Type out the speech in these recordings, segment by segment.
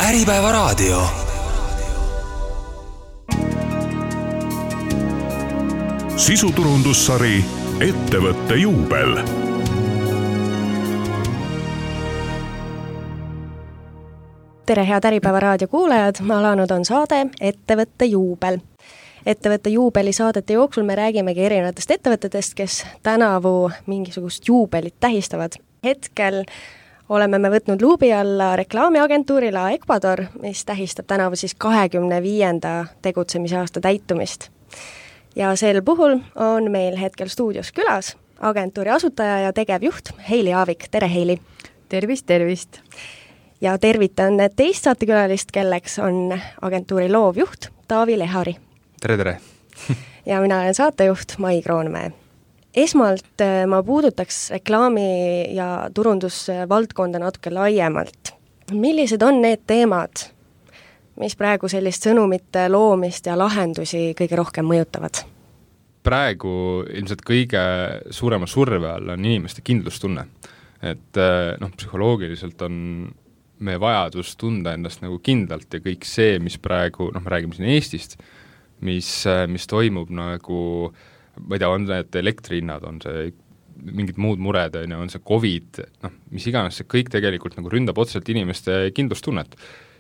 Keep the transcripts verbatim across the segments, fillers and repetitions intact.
Äripäevaraadio. Sisuturundussari Ettevõtte juubel. Tere, head Äripäevaraadio kuulajad, alanud on saade Ettevõtte juubel. Ettevõtte juubeli saadete jooksul me räägimegi erinevatest ettevõtetest, kes tänavu mingisugust juubelit tähistavad. Hetkel oleme me võtnud luubi alla reklaamiagentuurila Ecuador, mis tähistab tänavu siis kahekümne viienda tegutsemise aasta täitumist. Ja sel puhul on meil hetkel stuudios külas agentuuri asutaja ja tegevjuht Heili Aavik. Tere, Heili! Tervist, tervist! Ja tervitan teist saatekülalist, kelleks on agentuuri loovjuht Taavi Lehari. Tere, tere! Ja mina olen saatejuht Mai Kroonmäe. Esmalt ma puudutaks reklaami- ja turundusvaldkonda natuke laiemalt. Millised on need teemad, mis praegu sellist sõnumite loomist ja lahendusi kõige rohkem mõjutavad? Praegu ilmselt kõige suurema surve all on inimeste kindlustunne. Et noh, psühholoogiliselt on meie vajadus tunda endast nagu kindlalt ja kõik see, mis praegu, noh, me räägime siin Eestist, mis, mis toimub nagu, ma ei tea, on need elektrihinnad, on see mingid muud mured, on see COVID, noh, mis iganes, see kõik tegelikult nagu ründab otseselt inimeste kindlustunnet.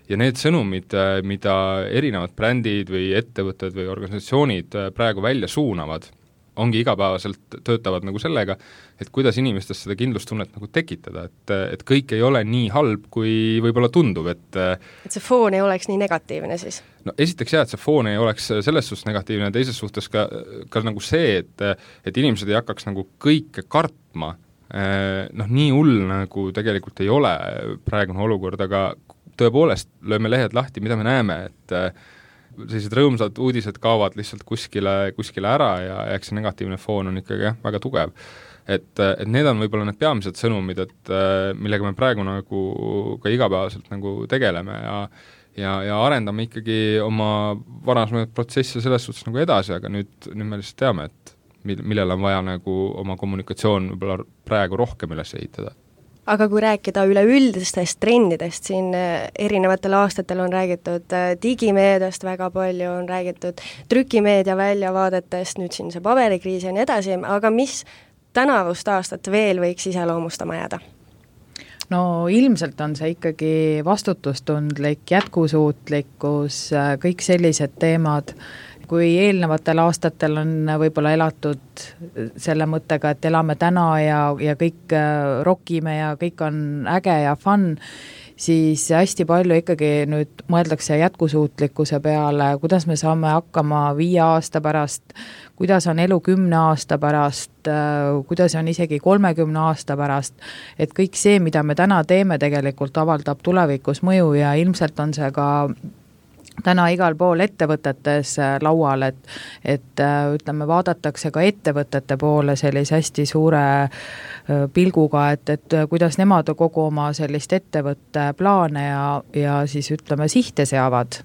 Ja need sõnumid, mida erinevad brändid või ettevõtted või organisatsioonid praegu välja suunavad, ongi igapäevaselt töötavad nagu sellega, et kuidas inimestest seda kindlustunnet nagu tekitada, et, et kõik ei ole nii halb, kui võib-olla tundub, et et see foon ei oleks nii negatiivne siis? No esiteks jah, et see foon ei oleks selles suhtes negatiivne, teises suhtes ka, ka nagu see, et, et inimesed ei hakkaks nagu kõike kartma, noh nii hull nagu tegelikult ei ole praegune olukord, aga tõepoolest lööme lehed lahti, mida me näeme, et sellised rõõmsad uudised kaovad lihtsalt kuskile, kuskile ära ja eks see negatiivne foon on ikkagi jah, väga tugev. Et, et need on võib-olla need peamised sõnumid, et millega me praegu nagu ka igapäevaselt nagu tegeleme ja, ja, ja arendame ikkagi oma varasemaid protsesse selles suhtes nagu edasi, aga nüüd, nüüd me lihtsalt teame, et millele on vaja nagu oma kommunikatsioon võib-olla praegu rohkem üles ehitada. Aga kui rääkida üleüldistest trendidest, siin erinevatel aastatel on räägitud digimeediast väga palju, on räägitud trükimeedia väljavaadetest, nüüd siin see paberikriis ja nii edasi, aga mis tänavust aastat veel võiks iseloomustama jääda? No ilmselt on see ikkagi vastutustundlik, jätkusuutlikkus, kõik sellised teemad. Kui eelnevatel aastatel on võib-olla elatud selle mõttega, et elame täna ja, ja kõik rokime ja kõik on äge ja fun, siis hästi palju ikkagi nüüd mõeldakse jätkusuutlikkuse peale, kuidas me saame hakkama viie aasta pärast, kuidas on elu kümne aasta pärast, kuidas on isegi kolmekümne aasta pärast, et kõik see, mida me täna teeme, tegelikult avaldab tulevikus mõju ja ilmselt on see ka täna igal pool ettevõtetes laual, et, et ütleme, vaadatakse ka ettevõtete poole sellise hästi suure pilguga, et, et kuidas nemad kogu oma sellist ettevõtte plaane ja, ja siis ütleme sihte seavad.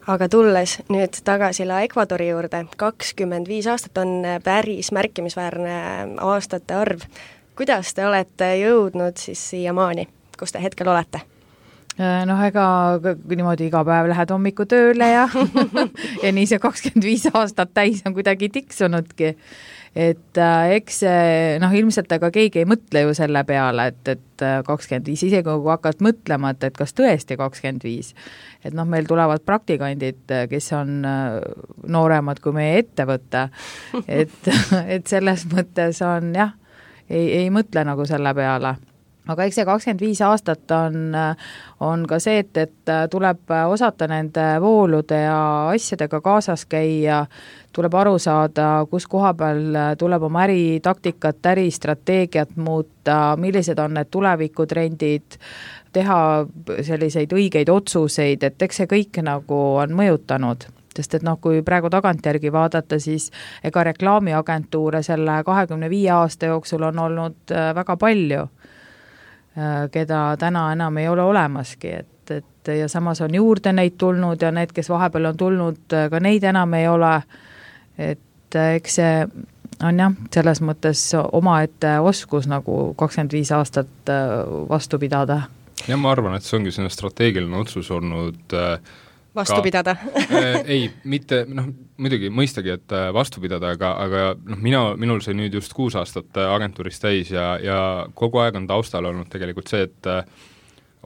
Aga tulles nüüd tagasi la Ecuadori juurde, kakskümmend viis aastat on päris märkimisväärne aastate arv. Kuidas te olete jõudnud siis siiamaani, kus te hetkel olete? Noh, ega niimoodi iga päev lähed hommiku tööle ja, ja nii see kakskümmend viis aastat täis on kuidagi tiksunudki. Et äh, eks noh, ilmselt aga keegi ei mõtle ju selle peale, et, et kakskümmend viis, isegi kui hakkad mõtlema, et, et kas tõesti kakskümmend viis. Et noh, meil tulevad praktikandid, kes on nooremad kui meie ettevõte. Et, et selles mõttes on jah, ei, ei mõtle nagu selle peale. Aga eks see kakskümmend viis aastat on, on ka see, et, et tuleb osata nende voolude ja asjadega kaasas käia, tuleb aru saada, kus koha peal tuleb oma äritaktikat, äristrateegiat muuta, millised on need tulevikutrendid, teha selliseid õigeid otsuseid, et eks see kõik nagu on mõjutanud. Sest et noh, kui praegu tagantjärgi vaadata, siis ega reklaamiagentuure selle kahekümne viie aasta jooksul on olnud väga palju, keda täna enam ei ole olemaski, et, et ja samas on juurde neid tulnud ja need, kes vahepeal on tulnud, ka neid enam ei ole, et eks see on jah, selles mõttes omaette oskus nagu kakskümmend viis aastat vastu pidada. ja ma arvan, et see ongi selline strateegiline otsus olnud äh, vastu pidada äh, ei, mitte, noh, muidugi mõistagi, et äh, vastu pidada, aga, aga noh, mina, minul sai nüüd just kuus aastat äh, agentuuris täis ja, ja kogu aeg on taustal olnud tegelikult see, et äh,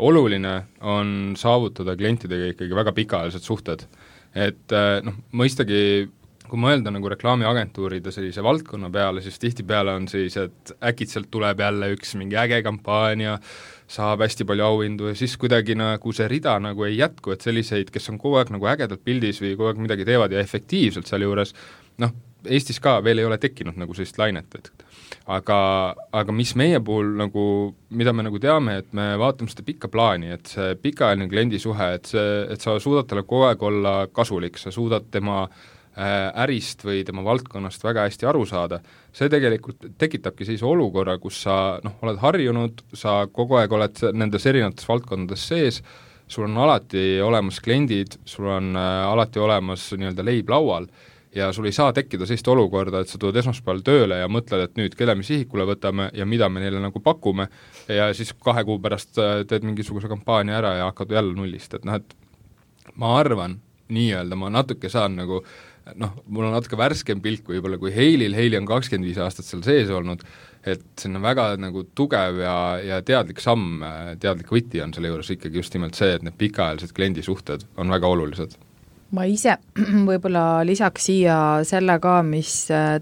oluline on saavutada klientidega ikkagi väga pikaajalised suhted. Et äh, noh, mõistagi kui mõelda nagu reklaamiagentuuride sellise valdkonna peale, siis tihtipeale on siis, et äkitselt tuleb jälle üks mingi äge kampaania, saab hästi palju auhindu ja siis kuidagi nagu see rida nagu ei jätku, et selliseid, kes on kogu aeg nagu ägedalt pildis või kogu aeg midagi teevad ja efektiivselt seal juures, noh, Eestis ka veel ei ole tekkinud nagu sellist lainet, et aga, aga mis meie puhul nagu, mida me nagu teame, et me vaatame seda pikka plaani, et see pikaajaline kliendisuhe, et see, et sa suudad talle kogu aeg olla kasulik, sa suudad tema ärist või tema valdkonnast väga hästi aru saada, see tegelikult tekitabki sellise olukorra, kus sa noh, oled harjunud, sa kogu aeg oled nendes erinevates valdkondades sees, sul on alati olemas kliendid, sul on äh, alati olemas nii-öelda leib laual ja sul ei saa tekkida sellist olukorda, et sa tuled esmaspäeval tööle ja mõtled, et nüüd kelle me sihikule võtame ja mida me neile nagu pakume ja siis kahe kuu pärast teed mingisuguse kampaania ära ja hakkad jälle nullist, et noh, et ma arvan, nii-öelda ma natuke saan nagu noh, mul on natuke värskem pilk võib-olla kui Heilil, Heili on kakskümmend viis aastat seal sees olnud, et see on väga nagu tugev ja, ja teadlik samm, teadlik võti on selle juures ikkagi just nimelt see, et need pikaajalised kliendisuhted on väga olulised. Ma ise võib-olla lisaks siia selle ka, mis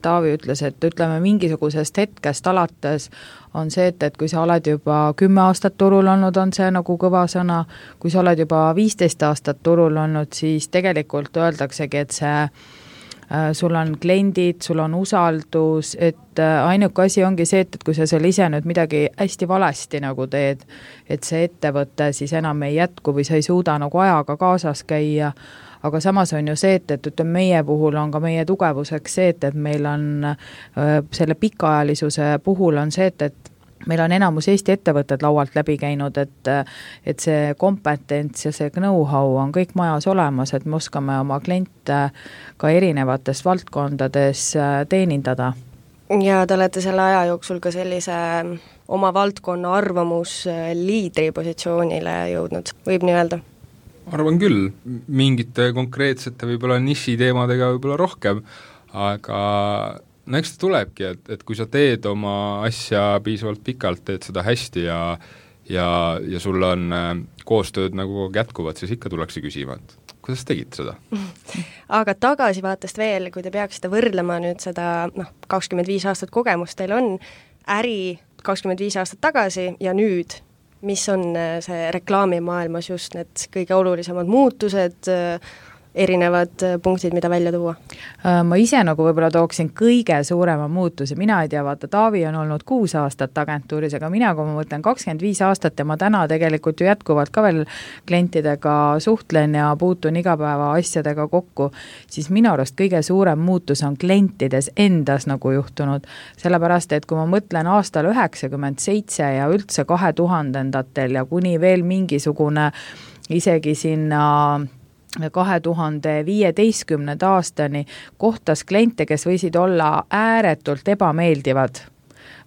Taavi ütles, et ütleme mingisugusest hetkest alates on see, et, et kui sa oled juba kümme aastat turul olnud, on see nagu kõva sõna, kui sa oled juba viisteist aastat turul olnud, siis tegelikult öeldaksegi, et see äh, sul on kliendid, sul on usaldus, et äh, ainuke asi ongi see, et, et kui sa seal ise nüüd midagi hästi valesti nagu teed, et see ettevõte siis enam ei jätku või sa ei suuda nagu ajaga kaasas käia, aga samas on ju see, et, et ütleme, meie puhul on ka meie tugevuseks see, et, et meil on äh, selle pikaajalisuse puhul on see, et, et meil on enamus Eesti ettevõtted laualt läbi käinud, et, et see kompetents ja see know-how on kõik majas olemas, et me oskame oma kliente ka erinevates valdkondades teenindada. Ja te olete selle aja jooksul ka sellise oma valdkonna arvamus liidri positsioonile jõudnud, võib nii öelda? Arvan küll, mingite konkreetsete võib-olla nišiteemadega võib-olla rohkem, aga no eks ta tulebki, et, et kui sa teed oma asja piisavalt pikalt, teed seda hästi ja, ja, ja sul on äh, koostööd nagu jätkuvad, siis ikka tullakse küsima, et kuidas tegid seda? Aga tagasivaatest veel, kui te peaksite võrdlema nüüd seda, noh, kakskümmend viis aastat kogemust teil on, äri kakskümmend viis aastat tagasi ja nüüd, mis on see reklaamimaailmas just need kõige olulisemad muutused, erinevad punktid, mida välja tuua? Ma ise nagu võib-olla tooksin kõige suurema muutuse, mina ei tea, vaata, Taavi on olnud kuus aastat agentuuris, aga mina, kui ma mõtlen kakskümmend viis aastat ja ma täna tegelikult ju jätkuvalt ka veel klientidega suhtlen ja puutun igapäeva asjadega kokku, siis minu arust kõige suurem muutus on klientides endas nagu juhtunud, sellepärast, et kui ma mõtlen aastal üheksakümmend seitse ja üldse kahe tuhandendatel ja kuni veel mingisugune isegi sinna kahe tuhande viieteistkümnenda aastani kohtas kliente, kes võisid olla ääretult ebameeldivad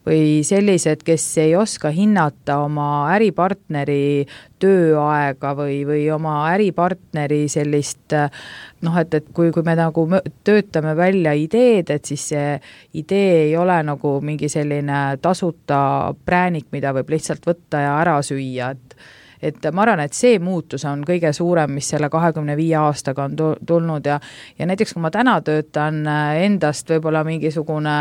või sellised, kes ei oska hinnata oma äripartneri tööaega või, või oma äripartneri sellist noh, et, et kui, kui me nagu töötame välja ideed, et siis see idee ei ole nagu mingi selline tasuta präänik, mida võib lihtsalt võtta ja ära süüa, et et ma arvan, et see muutus on kõige suurem, mis selle kahekümne viie aastaga on tulnud ja, ja näiteks kui ma täna töötan endast võib-olla mingisugune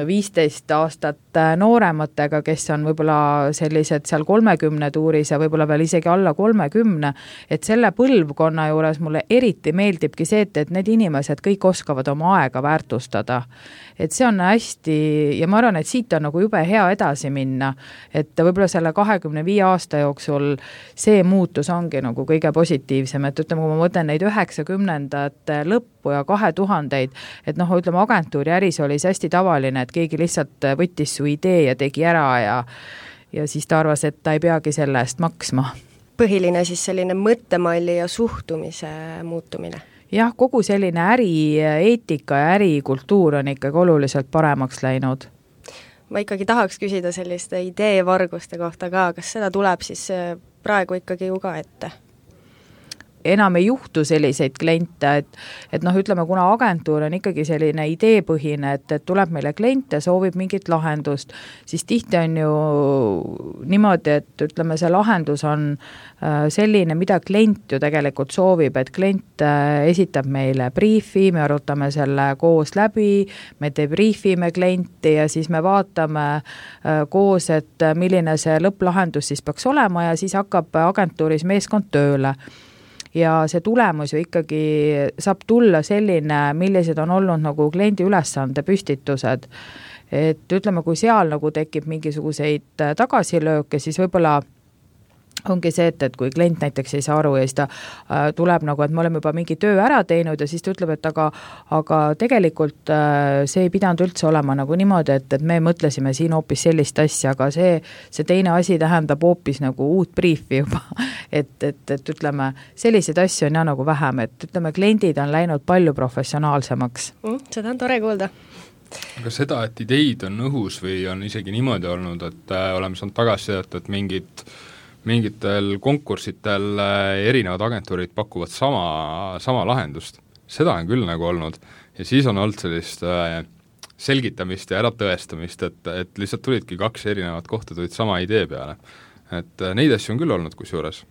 viisteist aastat noorematega, kes on võib-olla sellised seal kolmekümne tuuris ja võib-olla veel isegi alla kolmekümne, et selle põlvkonna juures mulle eriti meeldibki see, et, et need inimesed kõik oskavad oma aega väärtustada. Et see on hästi, ja ma arvan, et siit on nagu jube hea edasi minna, et võib-olla selle kahekümne viie aasta jooksul see muutus ongi nagu kõige positiivsem, et ütleme, kui ma mõtlen neid üheksakümnendate lõppu ja kahe tuhandeid, et noh, ütleme, agentuuri äris oli see hästi tavaline, et keegi lihtsalt võttis su idee ja tegi ära ja, ja siis ta arvas, et ta ei peagi selle eest maksma. Põhiline siis selline mõttemalli ja suhtumise muutumine. Jah, kogu selline ärieetika ja ärikultuur on ikkagi oluliselt paremaks läinud. ma ikkagi tahaks küsida selliste ideevarguste kohta ka, kas seda tuleb siis praegu ikkagi ju ka ette? Enam ei juhtu selliseid kliente, et, et noh, ütleme, kuna agentuur on ikkagi selline ideepõhine, et, et tuleb meile klient ja soovib mingit lahendust, siis tihti on ju niimoodi, et ütleme, see lahendus on selline, mida klient ju tegelikult soovib, et klient esitab meile briefi, me arutame selle koos läbi, me debriefime klienti ja siis me vaatame koos, et milline see lõpplahendus siis peaks olema ja siis hakkab agentuuris meeskond tööle. Ja see tulemus ju ikkagi saab tulla selline, millised on olnud nagu kliendi ülesande püstitused. Et ütleme, kui seal nagu tekib mingisuguseid tagasilööke, siis võib-olla ongi see, et, et kui klient näiteks ei saa aru ja siis ta äh, tuleb nagu, et me oleme juba mingi töö ära teinud ja siis ta ütleb, et aga, aga tegelikult äh, see ei pidanud üldse olema nagu niimoodi, et, et me mõtlesime siin hoopis sellist asja, aga see, see teine asi tähendab hoopis nagu uut briefi juba, et, et, et ütleme, selliseid asju on ja nagu vähem, et ütleme, kliendid on läinud palju professionaalsemaks mm,. Seda on tore kuulda. Aga seda, et ideid on õhus või on isegi niimoodi olnud, et äh, oleme saanud tagasisidet, et mingid mingitel konkursitel erinevad agentuurid pakuvad sama, sama lahendust. Seda on küll nagu olnud ja siis on olnud sellist selgitamist ja äratõestamist, et, et lihtsalt tulidki kaks erinevat kohta, tulid sama idee peale. Et neid asju on küll olnud kusjuures.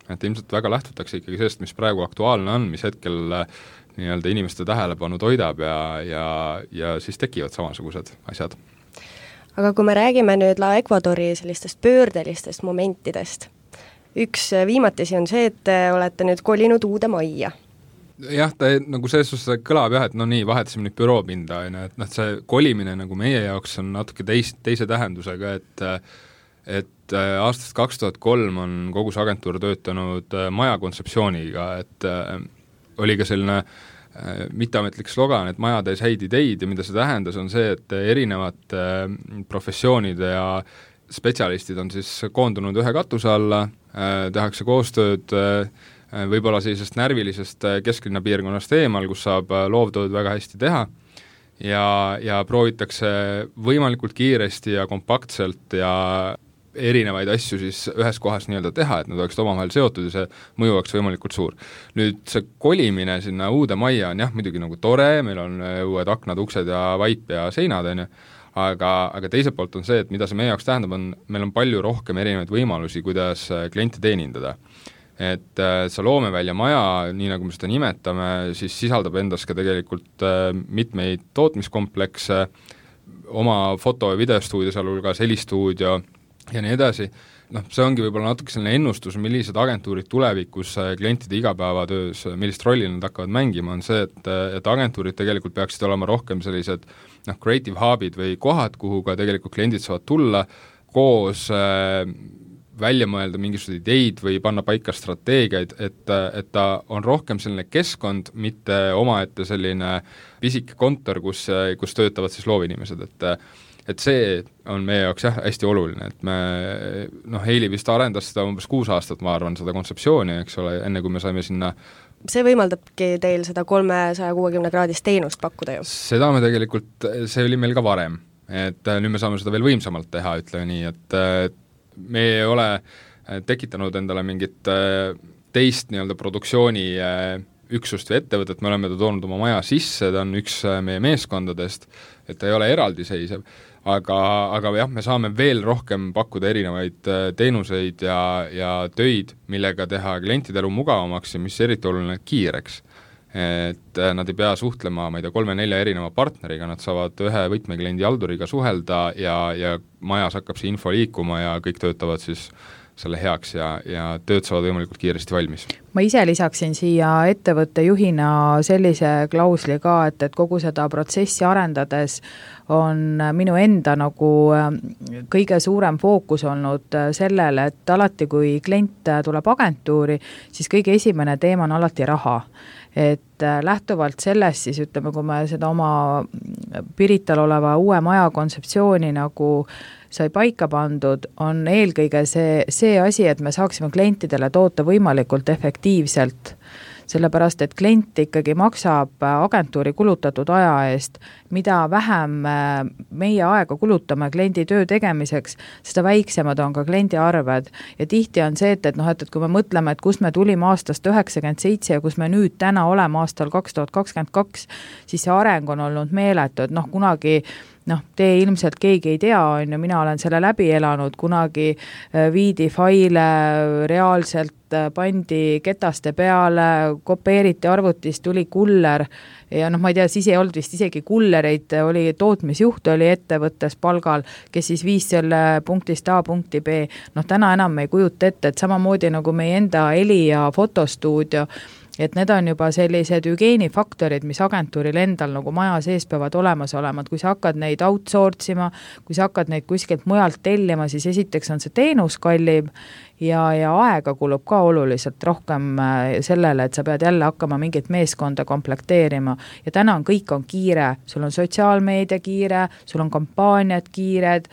Et ilmselt väga lähtutakse ikkagi sellest, mis praegu aktuaalne on, mis hetkel nii-öelda inimeste tähelepanu toidab ja, ja, ja siis tekivad samasugused asjad. Aga kui me räägime nüüd La Ecuadori sellistest pöördelistest momentidest, üks viimatisi on see, et te olete nüüd kolinud uude majja. Jah, ta nagu selles suhtes kõlab jah, et no nii, vahetasime nüüd büroopinda, et noh, see kolimine nagu meie jaoks on natuke teis, teise tähendusega, et et aastast kaks tuhat kolm on kogu see agentuur töötanud maja kontseptsiooniga, et oli ka selline mitteametlik slogan, et maja tees häid ideid ja mida see tähendas, on see, et erinevad professioonide ja spetsialistid on siis koondunud ühe katuse alla, tehakse koostööd võib-olla sellisest närvilisest kesklinna piirkonnast eemal, kus saab loovtööd väga hästi teha ja, ja proovitakse võimalikult kiiresti ja kompaktselt ja erinevaid asju siis ühes kohas nii-öelda teha, et nad oleksid omavahel seotud ja see mõju oleks võimalikult suur. Nüüd see kolimine sinna uude majja on jah, muidugi nagu tore, meil on uued aknad, uksed ja vaip ja seinad, on ju, aga, aga teiselt poolt on see, et mida see meie jaoks tähendab, on, meil on palju rohkem erinevaid võimalusi, kuidas kliente teenindada. Et see loomevälja maja, nii nagu me seda nimetame, siis sisaldab endas ka tegelikult mitmeid tootmiskomplekse, oma foto- ja videostuudio, sealhulgas helistuudio ja nii edasi. Noh, see ongi võib-olla natuke selline ennustus, millised agentuurid tulevikus klientide igapäevatöös, millist rolli nad hakkavad mängima, on see, et, et agentuurid tegelikult peaksid olema rohkem sellised noh, creative hub'id või kohad, kuhu ka tegelikult kliendid saavad tulla koos äh, välja mõelda mingisuguseid ideid või panna paika strateegiaid, et, et ta on rohkem selline keskkond, mitte omaette selline pisike kontor, kus, kus töötavad siis loovinimesed, et et see on meie jaoks jah, hästi oluline, et me, noh, Heili vist arendas seda umbes kuus aastat, ma arvan, seda kontseptsiooni, eks ole, enne kui me saime sinna. See võimaldabki teil seda kolmesaja kuuekümne kraadist teenust pakkuda ju? Seda me tegelikult, see oli meil ka varem, et nüüd me saame seda veel võimsamalt teha, ütleme nii, et me ei ole tekitanud endale mingit teist nii-öelda produktsiooni üksust või ettevõtet, me oleme ta toonud oma maja sisse, ta on üks meie meeskondadest, et ta ei ole eraldiseisev, aga, aga jah, me saame veel rohkem pakkuda erinevaid teenuseid ja, ja töid, millega teha klientide elu mugavamaks ja mis eriti oluline kiireks. Et nad ei pea suhtlema, ma ei tea, kolme-nelja erineva partneriga, nad saavad ühe võtmekliendi halduriga suhelda ja, ja majas hakkab see info liikuma ja kõik töötavad siis selle heaks ja, ja tööd saavad võimalikult kiiresti valmis. Ma ise lisaksin siia ettevõtte juhina sellise klausli ka, et, et kogu seda protsessi arendades on minu enda nagu kõige suurem fookus olnud sellele, et alati kui klient tuleb agentuuri, siis kõige esimene teema on alati raha. Et lähtuvalt sellest siis ütleme, kui me seda oma Pirital oleva uue maja kontseptsiooni nagu sai paika pandud, on eelkõige see, see asi, et me saaksime klientidele toota võimalikult efektiivselt sellepärast et klient ikkagi maksab agentuuri kulutatud aja eest, mida vähem meie aega kulutame kliendi töö tegemiseks, seda väiksemad on ka kliendi arved. Ja tihti on see, et, et, noh, et, et kui me mõtleme, et kus me tulime aastast üheksakümmend seitse ja kus me nüüd täna oleme aastal kaks tuhat kakskümmend kaks, siis see areng on olnud meeletu, et noh, kunagi noh, te ilmselt keegi ei tea, on ju, mina olen selle läbi elanud, kunagi viidi faile reaalselt pandi ketaste peale, kopeeriti arvutist, tuli kuller ja noh, ma ei tea, siis ei olnud vist isegi kullereid, oli tootmisjuht, oli ettevõttes palgal, kes siis viis selle punktist A punkti B. Noh, täna enam ei kujuta ette, et samamoodi nagu meie enda heli- ja fotostuudio, et need on juba sellised hügieenifaktorid, mis agentuuril endal nagu maja sees peavad olemas olema, et kui sa hakkad neid outsource ima, kui sa hakkad neid kuskilt mujalt tellima, siis esiteks on see teenus kallim ja, ja aega kulub ka oluliselt rohkem sellele, et sa pead jälle hakkama mingit meeskonda komplekteerima ja täna on kõik on kiire, sul on sotsiaalmeedia kiire, sul on kampaaniad kiired,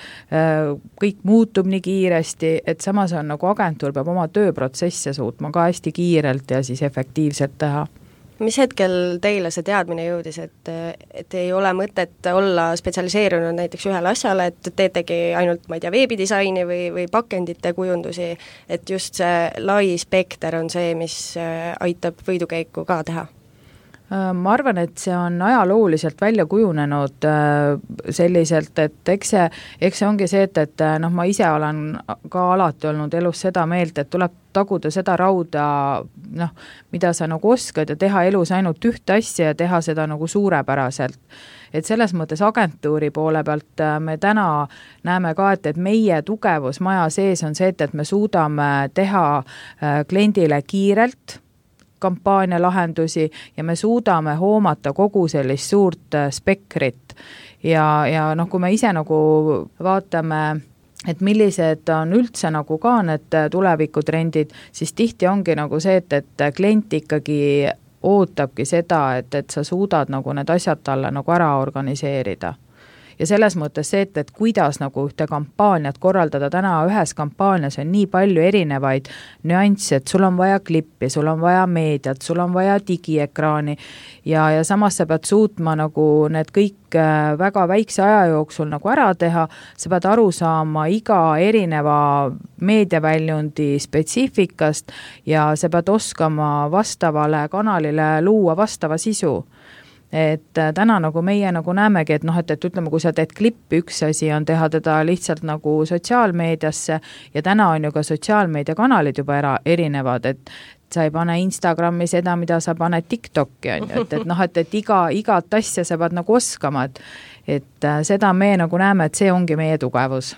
kõik muutub nii kiiresti, et samas on nagu agentuur peab oma tööprotsesse suutma ka hästi kiirelt ja siis efektiivselt teha. Mis hetkel teile see teadmine jõudis, et, et ei ole mõtet olla spetsialiseerunud näiteks ühele asjale, et teetegi ainult, ma ei tea, veebidisaini või, või pakendite kujundusi, et just see lai spekter on see, mis aitab võidukäiku ka teha? Ma arvan, et see on ajalooliselt välja kujunenud selliselt, et eks see, eks see ongi see, et, et noh, ma ise olen ka alati olnud elus seda meelt, et tuleb taguda seda rauda, noh, mida sa nagu oskad ja teha elus ainult ühte asja ja teha seda nagu suurepäraselt. Et selles mõttes agentuuri poole pealt me täna näeme ka, et, et meie tugevus maja sees on see, et, et me suudame teha kliendile kiirelt kampaania lahendusi ja me suudame hoomata kogu sellist suurt spektrit ja, ja noh, kui me ise nagu vaatame, et millised on üldse nagu ka need tulevikutrendid, siis tihti ongi nagu see, et, et klient ikkagi ootabki seda, et, et sa suudad nagu need asjad talle nagu ära organiseerida. Ja selles mõttes see, et, et kuidas nagu ühte kampaaniat korraldada, täna ühes kampaanias on nii palju erinevaid nüansse, et sul on vaja klippi, sul on vaja meediat, sul on vaja digiekraani ja, ja samas sa pead suutma nagu need kõik väga väikse aja jooksul nagu ära teha, sa pead aru saama iga erineva meediaväljundi spetsiifikast ja sa pead oskama vastavale kanalile luua vastava sisu. Et täna nagu meie nagu näemegi, et noh, et, et ütleme, kui sa teed klippi, üks asi on teha teda lihtsalt nagu sotsiaalmeediasse ja täna on ju ka sotsiaalmeediakanalid juba era, erinevad, et sa ei pane Instagrami seda, mida sa paned TikToki, on ju, et, et noh, et, et iga, igat asja sa pead nagu oskama, et, et seda me nagu näeme, et see ongi meie tugevus.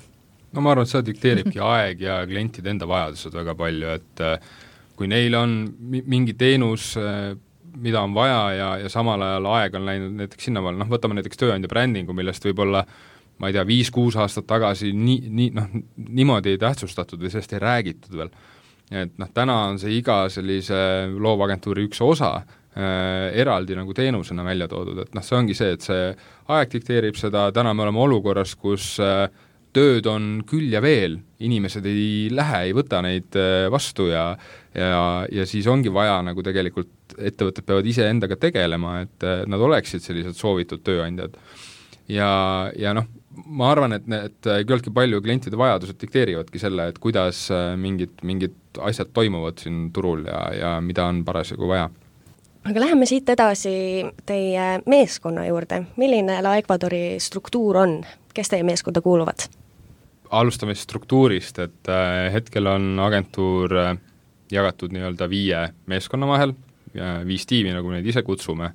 No ma arvan, et seda dikteeribki aeg ja klientide enda vajadused väga palju, et kui neil on mingi teenus, mida on vaja ja, ja samal ajal aeg on läinud näiteks sinnaval, noh, võtame näiteks tööandja brändingu, millest võib-olla, ma ei tea, viis-kuus aastat tagasi nii, nii, noh, niimoodi ei tähtsustatud või sellest ei räägitud veel. Et noh, täna on see iga sellise loovagentuuri üks osa äh, eraldi nagu teenusena välja toodud, et noh, see ongi see, et see aeg dikteerib seda, täna me oleme olukorras, kus äh, tööd on küll ja veel, inimesed ei lähe, ei võta neid vastu ja, ja, ja siis ongi vaja nagu tegelikult ettevõtted peavad ise endaga tegelema, et nad oleksid sellised soovitud tööandjad. Ja, ja noh, ma arvan, et need küllaltki palju klientide vajadused dikteerivadki selle, et kuidas mingid, mingid asjad toimuvad siin turul ja, ja mida on parasjagu vaja. Aga läheme siit edasi teie meeskonna juurde. Milline La Ecuadori struktuur on? Kes teie meeskonda kuuluvad? Alustame struktuurist, et hetkel on agentuur jagatud nii-öelda viie meeskonna vahel, viis tiimi, nagu neid ise kutsume,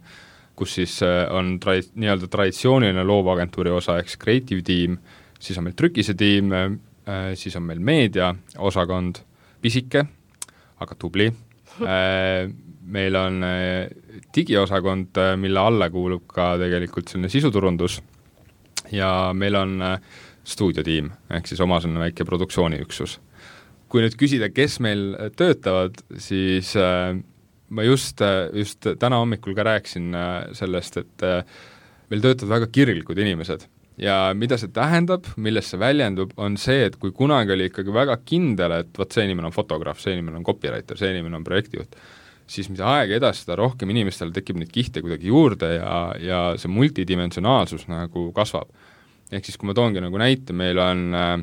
kus siis on tra- nii-öelda traditsiooniline loovagentuuri osa, eks creative tiim, siis on meil trükise tiim, siis on meil meedia osakond, pisike, aga tubli, meil on digiosakond, mille alla kuulub ka tegelikult selline sisuturundus ja meil on stuudiotiim, ehk siis oma selline väike produktsiooniüksus. Kui nüüd küsida, kes meil töötavad, siis äh, ma just, just täna hommikul ka rääkisin äh, sellest, et äh, meil töötavad väga kirglikud inimesed ja mida see tähendab, milles see väljendub, on see, et kui kunagi oli ikkagi väga kindel, et võt see inimene on fotograaf, see inimene on copywriter, see inimene on projektijuht, siis mida aega edasi, seda rohkem inimestel tekib neid kihte kuidagi juurde ja, ja see multidimensionaalsus nagu kasvab. Ehk siis, kui ma toongi nagu näite, meil on äh,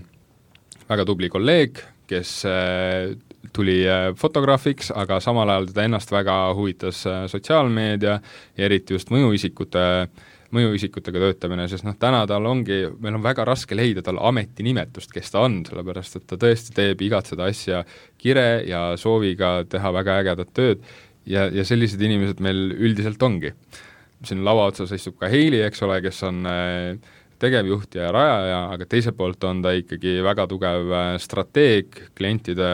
väga tubli kolleeg, kes äh, tuli äh, fotograafiks, aga samal ajal teda ennast väga huvitas äh, sotsiaalmeedia ja eriti just mõjuisikute mõjuisikutega töötamine, sest noh, täna tal ongi, meil on väga raske leida tal ametinimetust, kes ta on, sellepärast et ta tõesti teeb igat seda asja kire ja sooviga teha väga ägedat tööd ja, ja sellised inimesed meil üldiselt ongi. Siin lava otsas istub ka Heili, eks ole, kes on tegevjuht ja rajaja, aga teiselt poolt on ta ikkagi väga tugev strateeg, klientide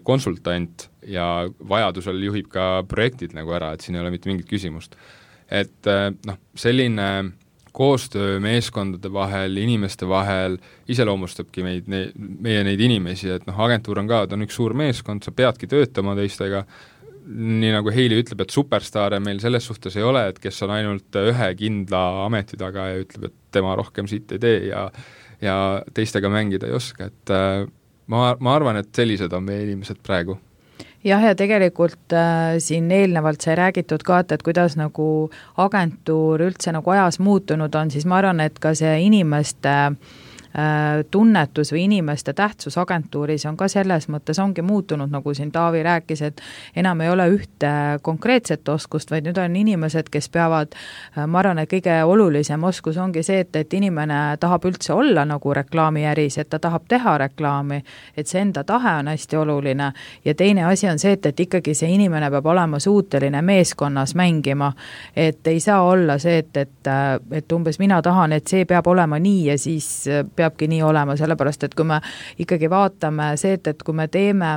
konsultant ja vajadusel juhib ka projektid nagu ära, et siin ei ole mitte mingit küsimust. Et noh, selline koostöö meeskondade vahel, inimeste vahel iseloomustabki meid, ne, meie neid inimesi, et noh, agentuur on ka, ta on üks suur meeskond, sa peadki töötama teistega, nii nagu Heili ütleb, et superstaare meil selles suhtes ei ole, et kes on ainult ühe kindla ameti taga ja ütleb, et tema rohkem siit ei tee ja, ja teistega mängida ei oska, et ma, ma arvan, et sellised on meie inimesed praegu. Jah, ja tegelikult äh, siin eelnevalt sai räägitud ka, et kuidas nagu agentuur üldse nagu ajas muutunud on, siis ma arvan, et ka see inimeste äh, tunnetus või inimeste tähtsus agentuuris on ka selles mõttes ongi muutunud, nagu siin Taavi rääkis, et enam ei ole ühte konkreetset oskust, vaid nüüd on inimesed, kes peavad, äh, ma arvan, et kõige olulisem oskus ongi see, et, et inimene tahab üldse olla nagu reklaamiäris, et ta tahab teha reklaami, et see enda tahe on hästi oluline ja teine asi on see, et, et ikkagi see inimene peab olema suuteline meeskonnas mängima, et ei saa olla see, et, et, et umbes mina tahan, et see peab olema nii ja siis peabki nii olema, sellepärast, et kui me ikkagi vaatame see, et, et kui me teeme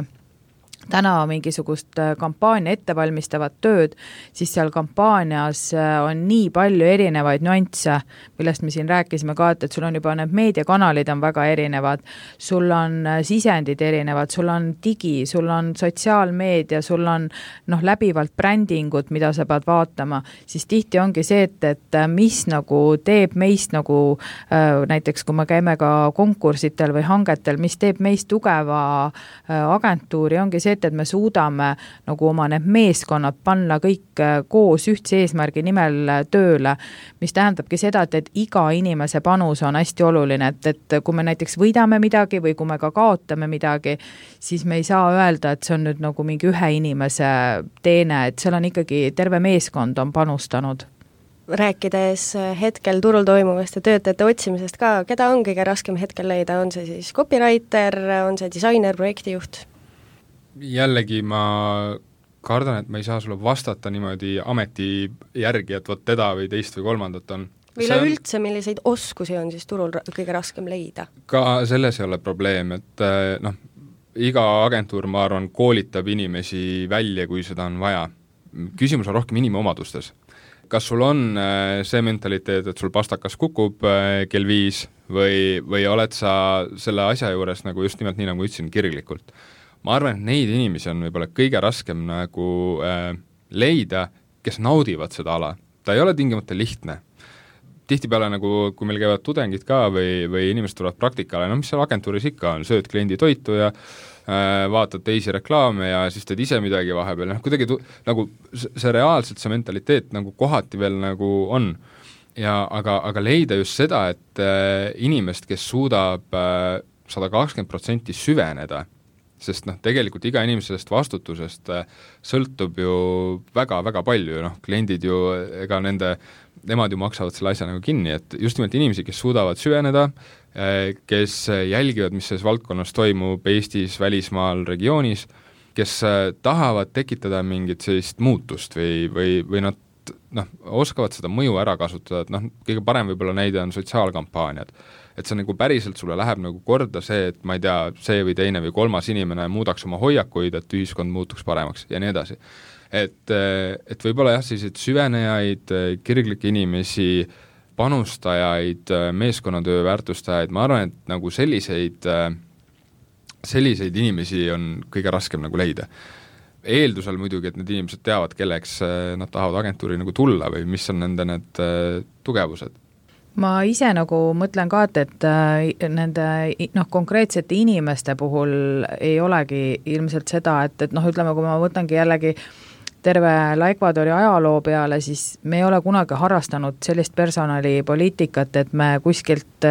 täna mingisugust kampaania ettevalmistavat tööd, siis seal kampaanias on nii palju erinevaid nüansse, millest me siin rääkisime ka, et, et sul on juba need meediakanalid on väga erinevad, sul on sisendid erinevad, sul on digi, sul on sotsiaalmeedia, sul on noh, läbivalt brändingut, mida sa pead vaatama, siis tihti ongi see, et, et mis nagu teeb meist nagu äh, näiteks kui me käime ka konkursitel või hangetel, mis teeb meist tugeva äh, agentuuri, ongi see, et, et me suudame nagu oma need meeskonnad panna kõik koos ühtse eesmärgi nimel tööle, mis tähendabki seda, et, et iga inimese panus on hästi oluline, et, et kui me näiteks võidame midagi või kui me ka kaotame midagi, siis me ei saa öelda, et see on nüüd nagu mingi ühe inimese teene, et seal on ikkagi terve meeskond on panustanud. Rääkides hetkel turul toimuvast ja töötajate otsimisest ka, keda on kõige raskem hetkel leida, on see siis copywriter, on see disainer, projektijuht? Jällegi ma kardan, et ma ei saa sulle vastata niimoodi ameti järgi, et võt teda või teist või kolmandat on. Või üleüldse, on... milliseid oskusi on siis turul kõige raskem leida? Ka selles ei ole probleem, et noh, iga agentuur, ma arvan, koolitab inimesi välja, kui seda on vaja. Küsimus on rohkem inimomadustes. Kas sul on see mentaliteet, et sul pastakas kukub kell viis või, või oled sa selle asja juures nagu just nimelt nii, nagu ütlesin, kirglikult? Ma arvan, et neid inimesi on võib-olla kõige raskem nagu äh, leida, kes naudivad seda ala. Ta ei ole tingimata lihtne. Tihtipeale nagu, kui meil käivad tudengid ka või, või inimesed tulevad praktikale, no mis seal agentuuris ikka on, sööd kliendi toitu ja äh, vaatad teisi reklaame ja siis teed ise midagi vahepeal. No, kuidagi tu, nagu see reaalselt see mentaliteet nagu kohati veel nagu on. Ja, aga, aga leida just seda, et äh, inimest, kes suudab äh, sada kakskümmend protsenti süveneda, sest noh, tegelikult iga inimesest vastutusest sõltub ju väga-väga palju, noh, kliendid ju, ega nende, nemad ju maksavad selle asja nagu kinni, et just nimelt inimesi, kes suudavad süveneda, kes jälgivad, mis selles valdkonnas toimub Eestis, välismaal, regioonis, kes tahavad tekitada mingit sellist muutust või, või, või nad noh, oskavad seda mõju ära kasutada, et noh, kõige parem võib-olla näide on sotsiaalkampaaniad. Et see nagu päriselt sulle läheb nagu korda see, et ma ei tea, see või teine või kolmas inimene muudaks oma hoiakuid, et ühiskond muutuks paremaks ja nii edasi. Et, et võib-olla jah, selliseid süvenejaid, kirglikke inimesi, panustajaid, meeskonnatöö väärtustajaid, ma arvan, et nagu selliseid, selliseid inimesi on kõige raskem nagu leida. Eeldusel muidugi, et need inimesed teavad, kelleks nad tahavad agentuuri nagu tulla või mis on nende need tugevused. Ma ise nagu mõtlen ka, et, et nende noh, konkreetsete inimeste puhul ei olegi ilmselt seda, et, et noh, ütleme, kui ma võtangi jällegi terve Ecuadori ajaloo peale, siis me ei ole kunagi harrastanud sellist personalipoliitikat, et me kuskilt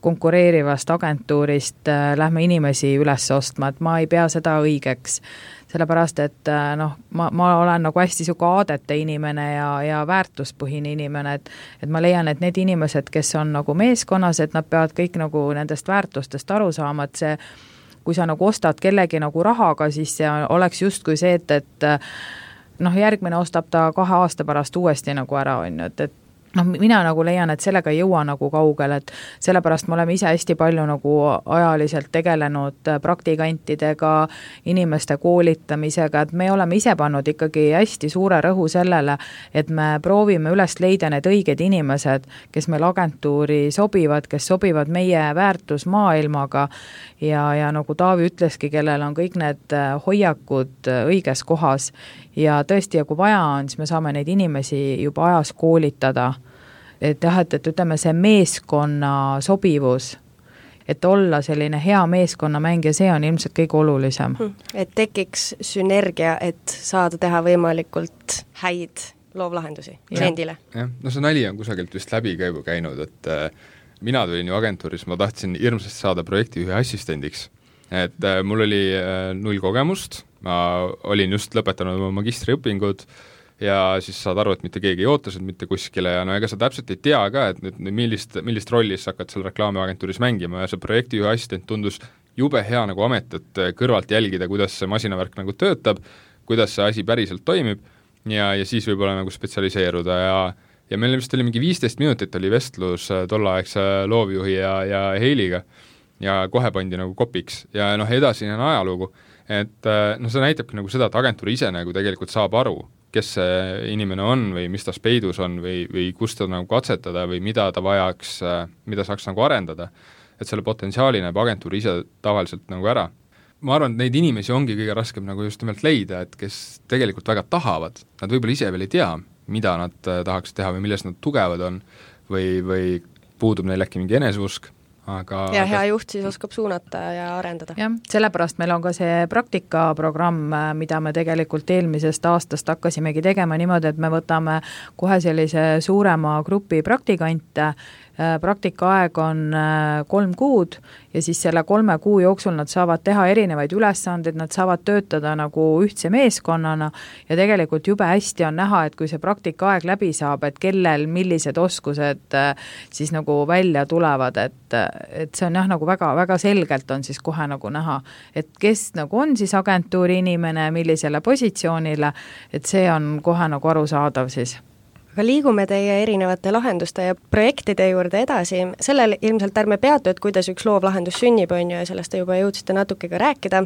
konkureerivast agentuurist lähme inimesi üles ostma, et ma ei pea seda õigeks. Sellepärast, et noh, ma, ma olen nagu hästi siuke aadete inimene ja, ja väärtuspõhine inimene, et, et ma leian, et need inimesed, kes on nagu meeskonnas, et nad peavad kõik nagu nendest väärtustest aru saama, et see, kui sa nagu ostad kellegi nagu rahaga, siis see oleks justkui see, et, et noh, järgmine ostab ta kahe aasta pärast uuesti nagu ära, on ju, et, et noh, mina nagu leian, et sellega ei jõua nagu kaugel, et sellepärast me oleme ise hästi palju nagu ajaliselt tegelenud praktikantidega, inimeste koolitamisega, et me oleme ise pannud ikkagi hästi suure rõhu sellele, et me proovime üles leida need õiged inimesed, kes meil agentuuri sobivad, kes sobivad meie väärtusmaailmaga ja, ja nagu Taavi ütleski, kellel on kõik need hoiakud õiges kohas ja tõesti, ja kui vaja on, siis me saame neid inimesi juba ajas koolitada. Et jah, et, et ütleme see meeskonna sobivus, et olla selline hea meeskonnamäng ja see on ilmselt kõige olulisem. Et tekiks sünergia, et saada teha võimalikult häid loovlahendusi kliendile. jah, no see nali on kusagilt vist läbi käibu käinud, et äh, mina tulin ju agentuuris, ma tahtsin hirmsasti saada projekti ühe assistendiks. Et äh, mul oli äh, null kogemust, ma olin just lõpetanud oma magistriõpingud ja siis saad aru, et mitte keegi ei oota mitte kuskile ja no ega sa täpselt ei tea ka, et nüüd millist, millist rolli sa hakkad seal reklaamiagentuuris mängima ja see projekti ühe assistent tundus jube hea nagu amet, et kõrvalt jälgida, kuidas see masinavärk nagu töötab, kuidas see asi päriselt toimib ja, ja siis võib-olla nagu spetsialiseeruda ja ja meil vist oli mingi viisteist minutit oli vestlus tolleaegse loovjuhi ja, ja Heiliga ja kohe pandi nagu kopiks ja noh, edasi on ajalugu, et noh, see näitabki nagu seda, et agentuur ise nagu tegelikult saab aru, kes see inimene on või mis ta peidus on või, või kust ta nagu katsetada või mida ta vajaks, mida saaks nagu arendada. Et selle potentsiaali näeb agentuur ise tavaliselt nagu ära. Ma arvan, et neid inimesi ongi kõige raskem nagu just nimelt leida, et kes tegelikult väga tahavad. Nad võib-olla ise veel ei tea, mida nad tahaks teha või milles nad tugevad on või, või puudub neil äkki mingi eneseusk. Aga, ja hea juht siis oskab suunata ja arendada. jah, sellepärast meil on ka see praktikaprogramm, mida me tegelikult eelmisest aastast hakkasimegi tegema niimoodi, et me võtame kohe sellise suurema grupi praktikante, praktikaaeg on kolm kuud ja siis selle kolme kuu jooksul nad saavad teha erinevaid ülesandeid, nad saavad töötada nagu ühtse meeskonnana ja tegelikult jube hästi on näha, et kui see praktikaaeg läbi saab, et kellel millised oskused siis nagu välja tulevad, et, et see on jah, nagu väga, väga selgelt on siis kohe nagu näha, et kes nagu on siis agentuuri inimene, millisele positsioonile, et see on kohe nagu arusaadav siis. Aga liigume teie erinevate lahenduste ja projektide juurde edasi. Sellel ilmselt ärme peatu, et kuidas üks loovlahendus sünnib, on ju, ja sellest te juba jõudsite natuke ka rääkida.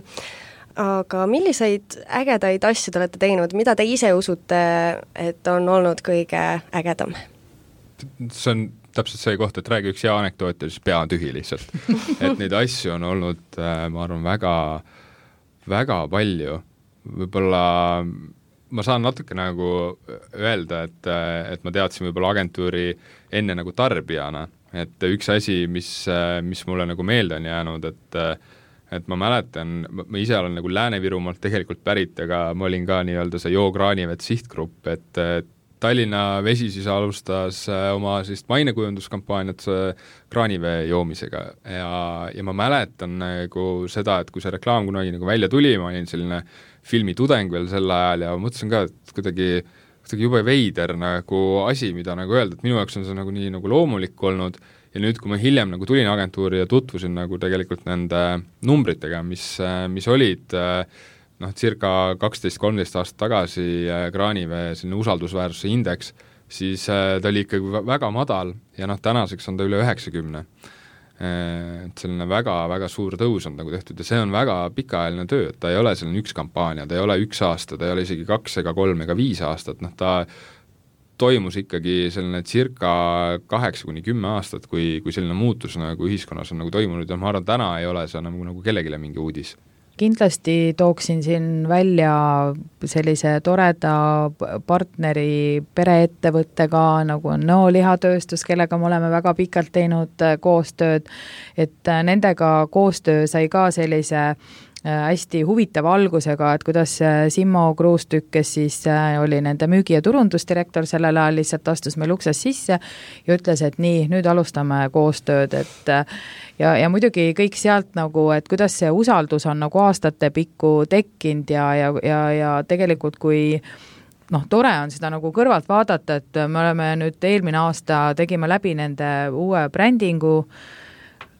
Aga milliseid ägedaid asju te olete teinud? Mida te ise usute, et on olnud kõige ägedam? See on täpselt see koht, et räägi üks hea anekdoot ja siis pea on tühi lihtsalt. Et neid asju on olnud, ma arvan, väga, väga palju. Võib-olla ma saan natuke nagu öelda, et, et ma teadsin võib-olla agentuuri enne nagu tarbijana, et üks asi, mis, mis mulle nagu meelde on jäänud, et, et ma mäletan, ma ise olen nagu Lääne-Virumaalt tegelikult pärit, aga ma olin ka nii-öelda see Joo Kraanivet sihtgrupp, et Tallinna Vesi siis alustas oma siis mainekujunduskampaaniat kraanivee joomisega ja, ja ma mäletan nagu seda, et kui see reklaam kunagi nagu välja tuli, ma olin selline filmitudeng veel sel ajal ja mõtlesin ka, et kuidagi, kuidagi jube veider nagu asi, mida nagu öelda, et minu jaoks on see nagu nii nagu loomulik olnud ja nüüd, kui ma hiljem nagu tulin agentuuri ja tutvusin nagu tegelikult nende numbritega, mis, mis olid noh, circa kaksteist kolmteist aastat tagasi kraanivee selline usaldusväärsuse indeks, siis ta oli ikkagi väga madal ja noh, tänaseks on ta üle üheksakümne. Et selline väga, väga suur tõus on nagu tehtud ja see on väga pikaajaline töö, et ta ei ole selline üks kampaania, ta ei ole üks aasta, ta ei ole isegi kaks ega kolm ega viis aastat, noh ta toimus ikkagi selline circa kaheksa kuni kümme aastat, kui, kui selline muutus nagu ühiskonnas on nagu toimunud ja ma arvan, täna ei ole see nagu, nagu kellegile mingi uudis. Kindlasti tooksin siin välja sellise toreda partneri pereettevõttega, nagu on Nõo lihatööstus, kellega me oleme väga pikalt teinud koostööd, et nendega koostöö sai ka sellise hästi huvitava algusega, et kuidas Simmo Kruustükk, kes siis oli nende müügi- ja turundusdirektor sellel ajal, lihtsalt astus meil ukses sisse ja ütles, et nii, nüüd alustame koostööd, et ja, ja muidugi kõik sealt nagu, et kuidas see usaldus on nagu aastate pikku tekkinud ja, ja, ja, ja tegelikult kui noh, tore on seda nagu kõrvalt vaadata, et me oleme nüüd eelmine aasta tegime läbi nende uue brändingu,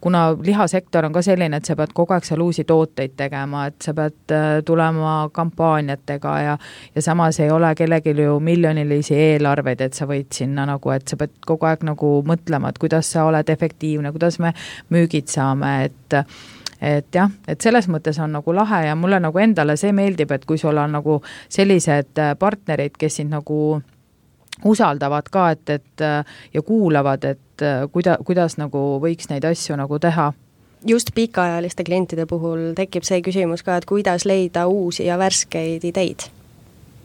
kuna lihasektor on ka selline, et sa pead kogu aeg seal uusi tooteid tegema, et sa pead tulema kampaaniatega ja, ja samas ei ole kellelgi ju miljonilisi eelarveid, et sa võid sinna nagu, et sa pead kogu aeg nagu mõtlema, et kuidas sa oled efektiivne, kuidas me müügid saame, et et jah, et selles mõttes on nagu lahe ja mulle nagu endale see meeldib, et kui sul on nagu sellised partnerid, kes sind nagu usaldavad ka, et, et ja kuulavad, et kuida, kuidas nagu võiks neid asju nagu teha. Just pikaajaliste klientide puhul tekib see küsimus ka, et kuidas leida uusi ja värskeid ideid?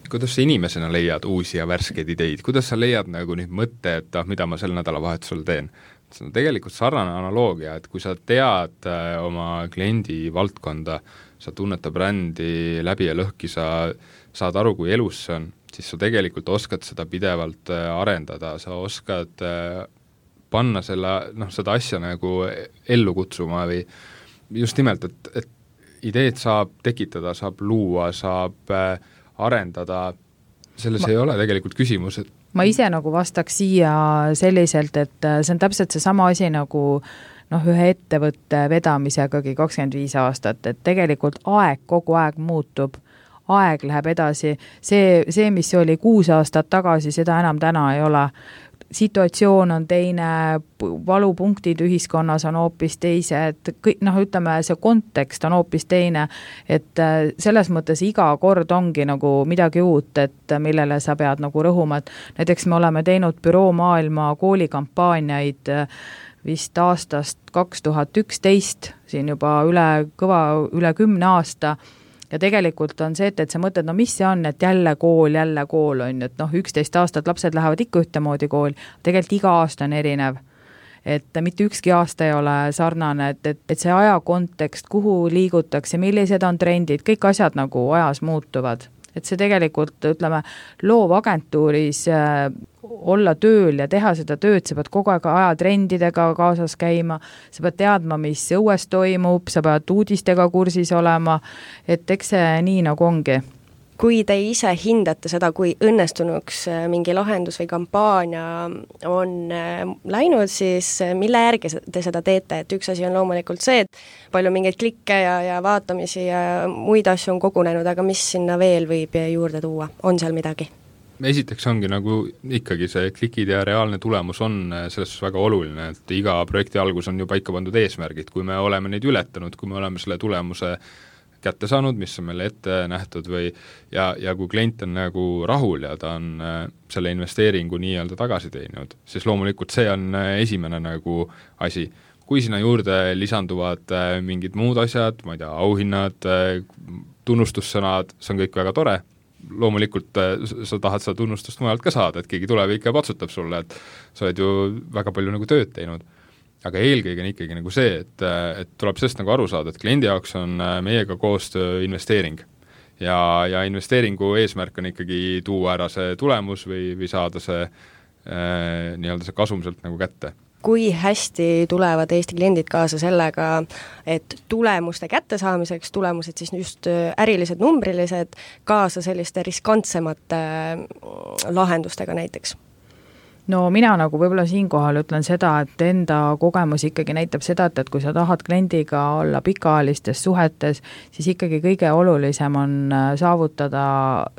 Kuidas sa inimesena leiad uusi ja värskeid ideid? Kuidas sa leiad nagu nüüd mõtte, et ah, mida ma sel nädalavahetusel teen? See on tegelikult sarnane analoogia, et kui sa tead oma kliendi valdkonda, sa tunned ta brändi läbi ja lõhki, sa saad aru, kui elus see on, siis sa tegelikult oskad seda pidevalt arendada, sa oskad panna selle, noh, seda asja nagu ellu kutsuma või just nimelt, et, et ideed saab tekitada, saab luua, saab arendada, selles ma, ei ole tegelikult küsimus, et ma ise nagu vastaks siia selliselt, et see on täpselt see sama asi nagu noh, ühe ettevõtte vedamisegagi kakskümmend viis aastat, et tegelikult aeg kogu aeg muutub, aeg läheb edasi, see, see, mis oli kuus aastat tagasi, seda enam täna ei ole. Situatsioon on teine, valupunktid ühiskonnas on hoopis teised, kõik, noh, ütleme, see kontekst on hoopis teine, et selles mõttes iga kord ongi nagu midagi uut, et millele sa pead nagu rõhuma, et näiteks me oleme teinud Büroo Maailma koolikampaaniaid vist aastast kaks tuhat üksteist, siin juba üle kõva, üle kümne aasta, ja tegelikult on see, et, et sa mõtled, no mis see on, et jälle kool, jälle kool on, et noh, üksteist aastat lapsed lähevad ikka ühtemoodi kooli, tegelikult iga aasta on erinev. Et mitte ükski aasta ei ole sarnane, et, et, et see aja kontekst, kuhu liigutakse, millised on trendid, kõik asjad nagu ajas muutuvad. Et see tegelikult, ütleme, loovagentuuris äh, olla tööl ja teha seda tööd, sa pead kogu aeg ajatrendidega kaasas käima, sa pead teadma, mis õues toimub, sa pead uudistega kursis olema, et eks see nii nagu ongi. Kui te ise hindate seda, kui õnnestunuks mingi lahendus või kampaania on läinud, siis mille järgi te seda teete? Et üks asi on loomulikult see, et palju mingeid klikke ja, ja vaatamisi ja muid asju on kogunenud, aga mis sinna veel võib juurde tuua? On seal midagi? Esiteks ongi nagu ikkagi see klikid ja reaalne tulemus on selles väga oluline, et iga projekti algus on ju paika pandud eesmärgid, kui me oleme neid ületanud, kui me oleme selle tulemuse kätte saanud, mis on meile ette nähtud või ja, ja kui klient on nagu rahul ja ta on äh, selle investeeringu nii-öelda tagasi teeninud, siis loomulikult see on äh, esimene nagu asi. Kui sinna juurde lisanduvad äh, mingid muud asjad, ma ei tea, auhinnad, äh, tunnustussõnad, see on kõik väga tore, loomulikult äh, sa tahad seda tunnustust mujalt ka saada, et keegi tuleb ikka patsutab sulle, et sa oled ju väga palju nagu tööd teinud. Aga eelkõige on ikkagi nagu see, et, et tuleb sellest nagu aru saada, et kliendi jaoks on meiega koostöö investeering. Ja, ja investeeringu eesmärk on ikkagi tuua ära see tulemus või, või saada see, äh, nii-öelda see kasum sealt nagu kätte. Kui hästi tulevad Eesti kliendid kaasa sellega, et tulemuste kättesaamiseks, tulemused siis just ärilised, numbrilised, kaasa selliste riskantsemate lahendustega näiteks? No mina nagu võib-olla siinkohal ütlen seda, et enda kogemus ikkagi näitab seda, et, et kui sa tahad kliendiga olla pikaajalistes suhetes, siis ikkagi kõige olulisem on saavutada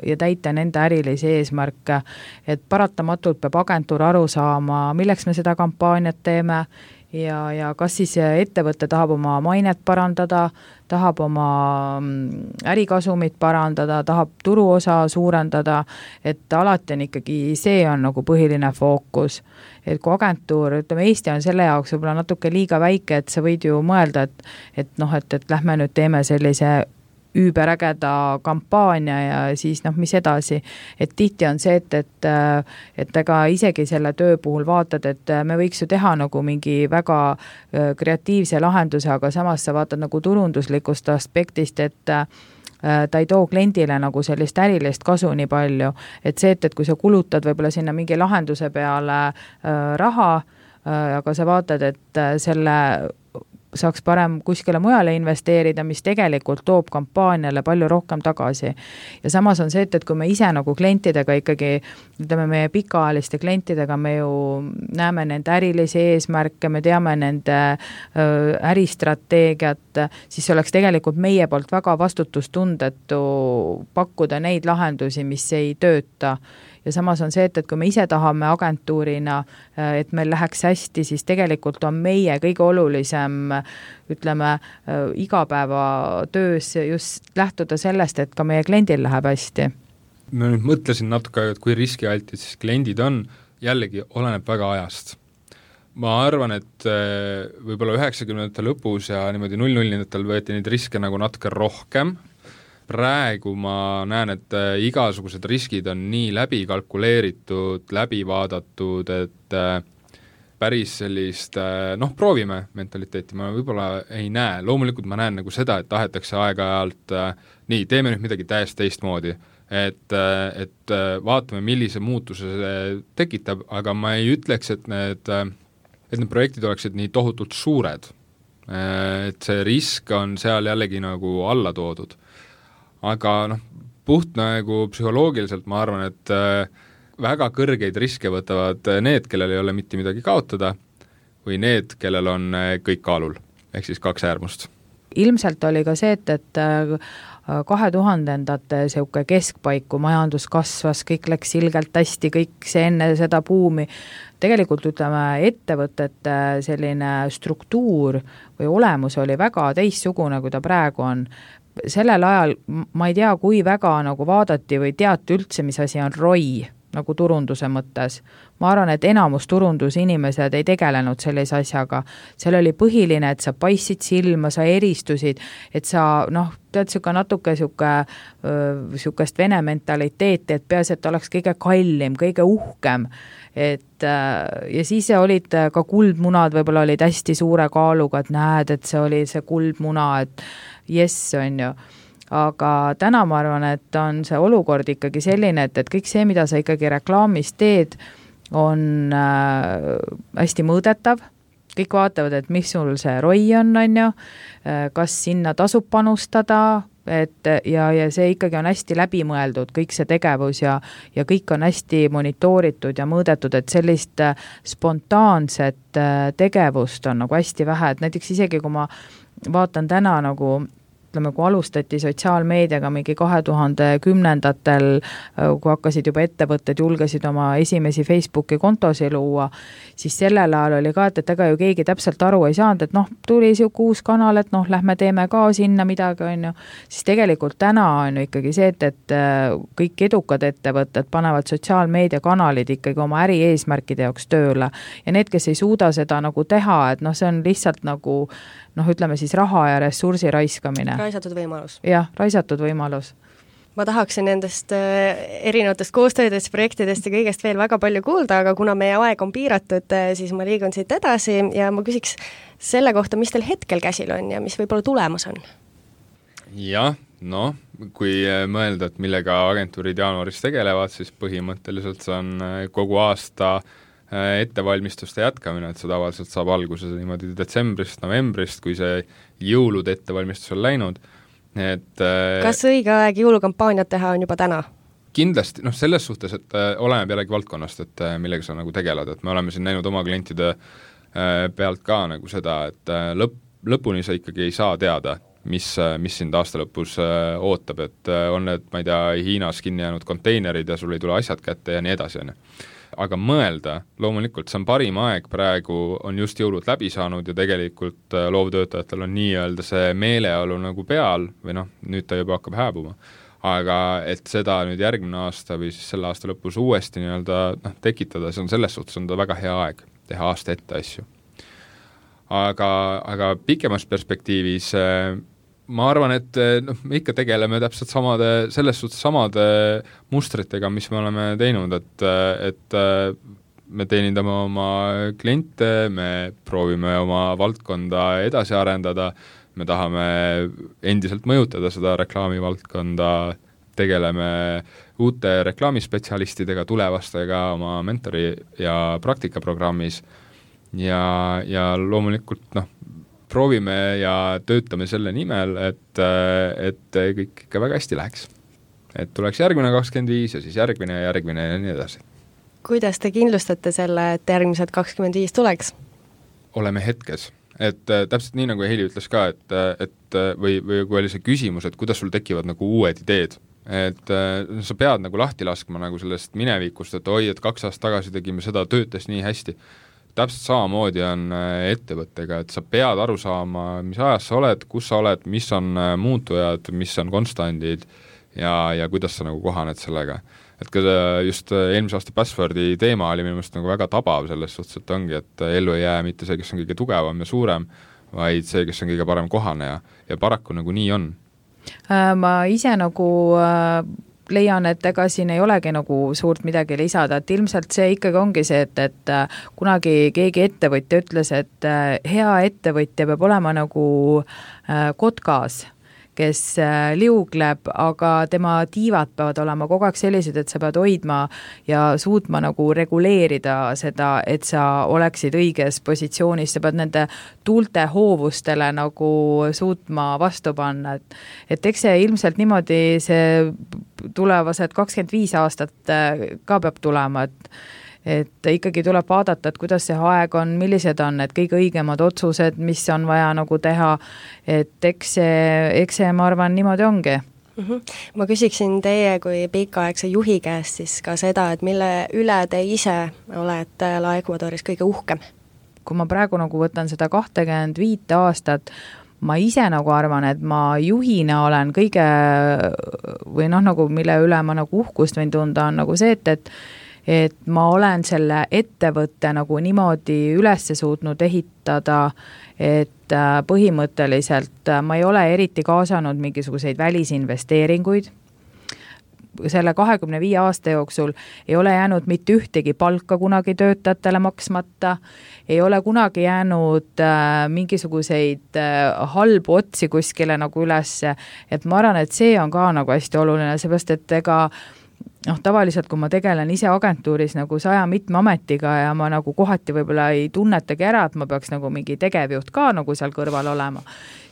ja täita nende ärilisi eesmärke, et paratamatult peab agentuur aru saama, milleks me seda kampaaniat teeme ja, ja kas siis ettevõte tahab oma mainet parandada, tahab oma ärikasumit parandada, tahab turuosa suurendada, et alati on ikkagi see on nagu põhiline fookus. Et kui agentuur, ütleme, Eesti on selle jaoks võib-olla natuke liiga väike, et sa võid ju mõelda, et, et noh, et, et lähme nüüd teeme sellise üüberägeda kampaania ja siis noh, mis edasi. Et tihti on see, et, et, et ega isegi selle töö puhul vaatad, et me võiks ju teha nagu mingi väga kreatiivse lahenduse, aga samas sa vaatad nagu turunduslikust aspektist, et ta ei too kliendile nagu sellist ärilist kasu nii palju. Et see, et, et kui sa kulutad võib-olla sinna mingi lahenduse peale raha, aga sa vaatad, et selle saaks parem kuskile mujale investeerida, mis tegelikult toob kampaaniale palju rohkem tagasi. Ja samas on see, et, et kui me ise nagu klientidega ikkagi, ütleme meie pikaajaliste klientidega, me ju näeme nende ärilisi eesmärke, me teame nende äristrateegiat, siis oleks tegelikult meie poolt väga vastutustundetu pakkuda neid lahendusi, mis ei tööta. Ja samas on see, et, et kui me ise tahame agentuurina, et meil läheks hästi, siis tegelikult on meie kõige olulisem, ütleme, igapäeva töös just lähtuda sellest, et ka meie kliendil läheb hästi. Ma nüüd mõtlesin natuke, et kui riskialtid siis kliendid on, jällegi oleneb väga ajast. Ma arvan, et võib-olla üheksakümnendate lõpus ja niimoodi null-nullindatel võeti neid riske nagu natuke rohkem. Praegu ma näen, et igasugused riskid on nii läbi kalkuleeritud, läbi vaadatud, et päris sellist, noh, proovime mentaliteeti ma võib-olla ei näe. Loomulikult ma näen nagu seda, et tahetakse aeg-ajalt, nii, teeme nüüd midagi täiesti teistmoodi, et, et vaatame, millise muutuse see tekitab, aga ma ei ütleks, et need, et need projektid oleksid nii tohutult suured. Et see risk on seal jällegi nagu alla toodud. Aga noh, puht nagu psühholoogiliselt ma arvan, et väga kõrgeid riske võtavad need, kellel ei ole mitte midagi kaotada või need, kellel on kõik kaalul, ehk siis kaks äärmust. Ilmselt oli ka see, et, et kahe tuhandendate seuke keskpaiku majandus kasvas, kõik läks ilgelt hästi, kõik see enne seda buumi. Tegelikult ütleme, ettevõtete selline struktuur või olemus oli väga teistsugune, kui ta praegu on. Sellel ajal ma ei tea, kui väga nagu vaadati või teati üldse, mis asi on R O I nagu turunduse mõttes. Ma arvan, et enamus turundusinimesed ei tegelenud sellise asjaga. Seal oli põhiline, et sa paistsid silma, sa eristusid, et sa, noh, tead, siuke natuke siuke, siukest vene mentaliteeti, et peas, et oleks kõige kallim, kõige uhkem. Et, ja siis olid ka kuldmunad, võib-olla olid hästi suure kaaluga, et näed, et see oli see kuldmuna, et jess on ju. Aga täna ma arvan, et on see olukord ikkagi selline, et, et kõik see, mida sa ikkagi reklaamis teed, on äh, hästi mõõdetav. Kõik vaatavad, et mis sul see R O I on, on ju, kas sinna tasub panustada, et, ja, ja see ikkagi on hästi läbimõeldud, kõik see tegevus ja, ja kõik on hästi monitooritud ja mõõdetud, et sellist spontaanset tegevust on nagu hästi vähe, et näiteks isegi kui ma vaatan täna nagu ütleme, kui alustati sotsiaalmeediaga mingi kahe tuhande kümnendatel, kui hakkasid juba ettevõtted, julgesid oma esimesi Facebooki kontosi luua, siis sellel ajal oli ka, et, et ega ju keegi täpselt aru ei saanud, et noh, tuli siuke uus kanal, et noh, lähme teeme ka sinna midagi, on ju. Siis tegelikult täna on ju ikkagi see, et, et kõik edukad ettevõtted panevad sotsiaalmeedia kanalid ikkagi oma äri eesmärkide jaoks tööle. Ja need, kes ei suuda seda nagu teha, et noh, see on lihtsalt nagu noh, ütleme siis raha ja ressursi raiskamine. Raisatud võimalus. Jah, raisatud võimalus. Ma tahaksin nendest erinevatest koostöödest, projektidest ja kõigest veel väga palju kuulda, aga kuna meie aeg on piiratud, siis ma liigun siit edasi ja ma küsiks selle kohta, mis teil hetkel käsil on ja mis võib-olla tulemas on? Jah, no, kui mõelda, et millega agentuurid jaanuaris tegelevad, siis põhimõtteliselt see on kogu aasta ettevalmistuste jätkamine, et see tavaliselt saab alguse niimoodi detsembrist, novembrist, kui see jõulud ettevalmistus on läinud. Et, kas õige aeg jõulukampaaniat teha on juba täna? Kindlasti, noh selles suhtes, et oleneb jällegi valdkonnast, et millega sa nagu tegeled, et me oleme siin näinud oma klientide pealt ka nagu seda, et lõpp, lõpuni sa ikkagi ei saa teada, mis, mis sind aasta lõpus ootab, et on need, ma ei tea, Hiinas kinni jäänud konteinerid ja sul ei tule asjad kätte ja nii edasi. Aga mõelda, loomulikult see on parim aeg, praegu on just jõulud läbi saanud ja tegelikult loovtöötajatel on nii-öelda see meeleolu nagu peal või noh, nüüd ta juba hakkab hääbuma. Aga et seda nüüd järgmine aasta või siis selle aasta lõpus uuesti nii-öelda noh, tekitada, see on selles suhtes on ta väga hea aeg teha aasta ette asju. Aga, aga pikemas perspektiivis ma arvan, et noh, me ikka tegeleme täpselt samade, selles suhtes samade mustritega, mis me oleme teinud, et, et me teenindame oma kliente, me proovime oma valdkonda edasi arendada, me tahame endiselt mõjutada seda reklaamivaldkonda, tegeleme uute reklaamispetsialistidega, tulevastega oma mentori ja praktikaprogrammis ja, ja loomulikult noh, proovime ja töötame selle nimel, et, et kõik ikka väga hästi läheks. Et tuleks järgmine kakskümmend viis ja siis järgmine ja järgmine ja nii edasi. Kuidas te kindlustate selle, et järgmised kakskümmend viis tuleks? Oleme hetkes. Et täpselt nii, nagu Heili ütles ka, et, et või, või kui oli see küsimus, et kuidas sul tekivad nagu uued ideed, et sa pead nagu lahti laskma nagu sellest minevikust, et oi, et kaks aastat tagasi tegime seda, töötas nii hästi. Täpselt samamoodi on ettevõttega, et sa pead aru saama, mis ajas sa oled, kus sa oled, mis on muutujad, mis on konstandid ja, ja kuidas sa nagu kohaned sellega. Et ka just eelmise aasta Passwordi teema oli minu meelest nagu väga tabav selles suhtes, et ongi, et ellu ei jää mitte see, kes on kõige tugevam ja suurem, vaid see, kes on kõige parem kohaneja ja paraku nagu nii on. Ma ise nagu leian, et ega siin ei olegi nagu suurt midagi lisada, et ilmselt see ikkagi ongi see, et, et kunagi keegi ettevõtja ütles, et hea ettevõtja peab olema nagu kotkas, kes liugleb, aga tema tiivad peavad olema kogu aeg sellised, et sa pead hoidma ja suutma nagu reguleerida seda, et sa oleksid õiges positsioonis, sa pead nende tuulte hoovustele nagu suutma vastu panna, et, et eks see ilmselt niimoodi see tulevased kakskümmend viis aastat ka peab tulema, et et ikkagi tuleb vaadata, et kuidas see aeg on, millised on need kõige õigemad otsused, mis on vaja nagu teha, et eks see, eks see ma arvan, niimoodi ongi. Mm-hmm. Ma küsiksin teie kui pikaaegse juhi käest siis ka seda, et mille üle te ise olete La Ecuadoris kõige uhkem? Kui ma praegu nagu võtan seda kakskümmend viis aastat, ma ise nagu arvan, et ma juhina olen kõige või noh, nagu mille üle ma nagu uhkust võin tunda, on nagu see, et, et et ma olen selle ettevõtte nagu niimoodi üles suutnud ehitada, et põhimõtteliselt ma ei ole eriti kaasanud mingisuguseid välisinvesteeringuid. Selle kahekümne viie aasta jooksul ei ole jäänud mitte ühtegi palka kunagi töötajatele maksmata, ei ole kunagi jäänud mingisuguseid halbu otsi kuskile nagu üles, et ma arvan, et see on ka nagu hästi oluline, seepärast, et ega noh, tavaliselt, kui ma tegelen ise agentuuris nagu saja mitme ametiga ja ma nagu kohati võib-olla ei tunnetagi ära, et ma peaks nagu mingi tegevjuht ka nagu seal kõrval olema,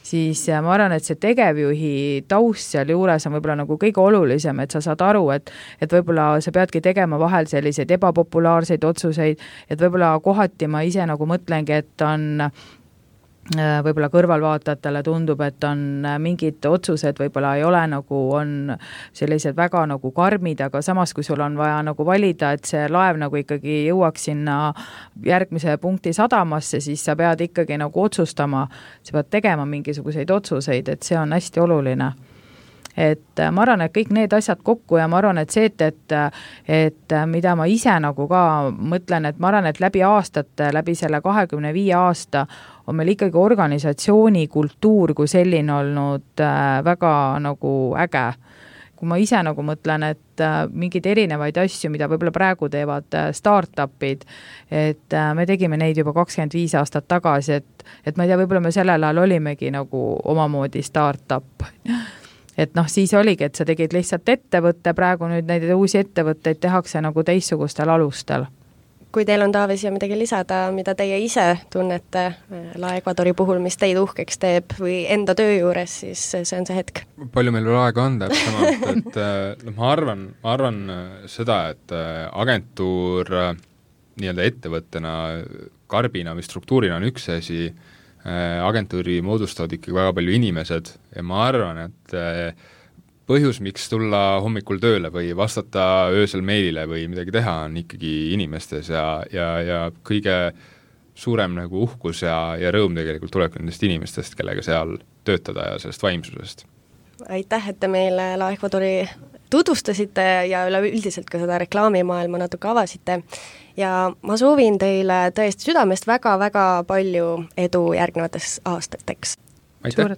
siis ma arvan, et see tegevjuhi taust seal juures on võib-olla nagu kõige olulisem, et sa saad aru, et, et võib-olla sa peadki tegema vahel selliseid ebapopulaarseid otsuseid, et võib-olla kohati ma ise nagu mõtlengi, et on võib-olla kõrvalvaatajatele tundub, et on mingid otsused võib-olla ei ole nagu, on sellised väga nagu karmid, aga samas, kui sul on vaja nagu valida, et see laev nagu ikkagi jõuaks sinna järgmise punkti sadamasse, siis sa pead ikkagi nagu otsustama, sa pead tegema mingisuguseid otsuseid, et see on hästi oluline. Et ma arvan, et kõik need asjad kokku ja ma arvan, et see, et, et, et mida ma ise nagu ka mõtlen, et ma arvan, et läbi aastate, läbi selle kahekümne viie aasta on meil ikkagi organisatsiooni kultuur kui selline olnud väga nagu äge. Kui ma ise nagu mõtlen, et mingid erinevaid asju, mida võib-olla praegu teevad startupid, et me tegime neid juba kakskümmend viis aastat tagasi, et, et ma ei tea, võib-olla me sellel ajal olimegi nagu omamoodi startup. Et noh, siis oligi, et sa tegid lihtsalt ettevõtte, praegu nüüd neid uusi ettevõtteid tehakse nagu teissugustel alustel. Kui teil on, Taavi, siia midagi lisada, mida teie ise tunnete La Ecuadori puhul, mis teid uhkeks teeb või enda töö juures, siis see on see hetk. Palju meil veel aega on täpsemalt, et no, ma arvan, ma arvan seda, et agentuur nii-öelda ettevõttena, karbina või struktuurina on üks asi, agentuuri moodustavad ikkagi väga palju inimesed ja ma arvan, et põhjus, miks tulla hommikul tööle või vastata öösel meilile või midagi teha, on ikkagi inimestes ja, ja, ja kõige suurem nagu uhkus ja, ja rõõm tegelikult tuleb nendest inimestest, kellega seal töötada ja sellest vaimsusest. Aitäh, et te meile La Ecuadori tutvustasite ja üleüldiselt ka seda reklaamimaailma natuke avasite. Ja ma soovin teile tõesti südamest väga-väga palju edu järgnevates aastateks. Aitäh!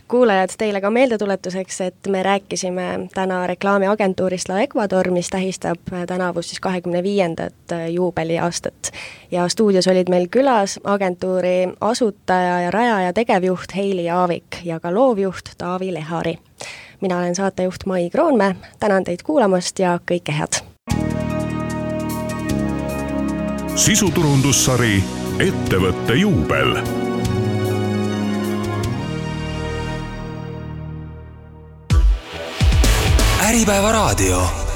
kuulajad, teile ka meeldetuletuseks, et me rääkisime täna reklaamiagentuurist La Ecuador, mis tähistab tänavu siis kahekümne viiendat juubeliaastat. Ja stuudios olid meil külas agentuuri asutaja ja rajaja tegevjuht Heili Aavik ja ka loovjuht Taavi Lehari. Mina olen saatejuht Mai Kroonmäe, tänan teid kuulamast ja kõike head! Sisuturundussari Ettevõtte juubel. Äripäeva raadio.